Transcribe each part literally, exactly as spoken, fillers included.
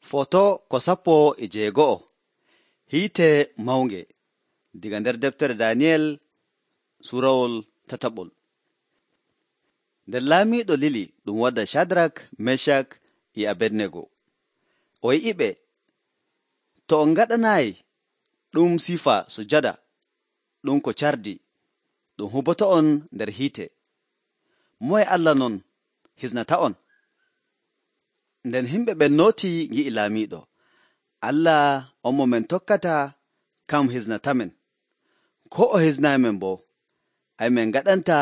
Foto ko sappo e jeego'o hiite mawnge diga nder deftere Daniyel suurawol tataɓol. Nden laamiiɗo lili ɗum wadda Shadrak, Meshak e Abednego. O yi'iɓe, to on ngaɗanaayi ɗum sifa sujada ɗum ko cardi ɗum huboto'on nder hiite, moye Allah non hisnata'on? Nden himɓe ɓen nooti ngi'i laamiiɗo, Allah on mo men tokkata kam hisnatamen, ko o hisnaamen boo, ay men ngaɗanta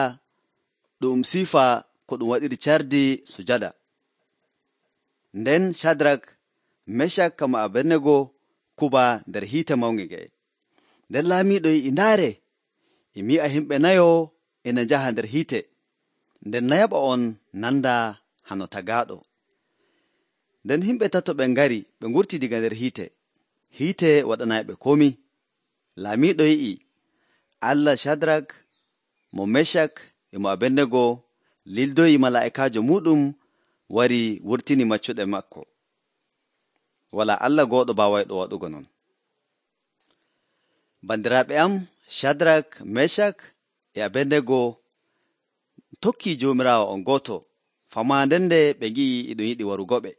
ɗum sifa ko ɗum waɗiri cardi sujada. Nden Shadrak, Meshak kama Abednego kuba nder hiite mawnge nge'e. Nden laamiiɗo yi'i ndaare, e mi'a himɓe nayo ina njaha nder hiite, nden nayaɓo on nanda hano tagaaɗo. Nden himɓe tato ɓen ngari ɓe ngurti diga nder hiite, hiite waɗanayɓe komi. Laamiiɗo yi'i Allah Shadrak, mo Meshak e mo Abednego lildoyi malaa'ikaajo muuɗum wari wurtini maccuɗe makko. Walaa Allah gooɗo baawayɗo waɗugo non. Bandiraaɓe am, Shadrak, Meshak e Abednego tokkii Joomiraawo on gooto, famaande nde ɓe ngi'i e ɗum yiɗi warugoɓe.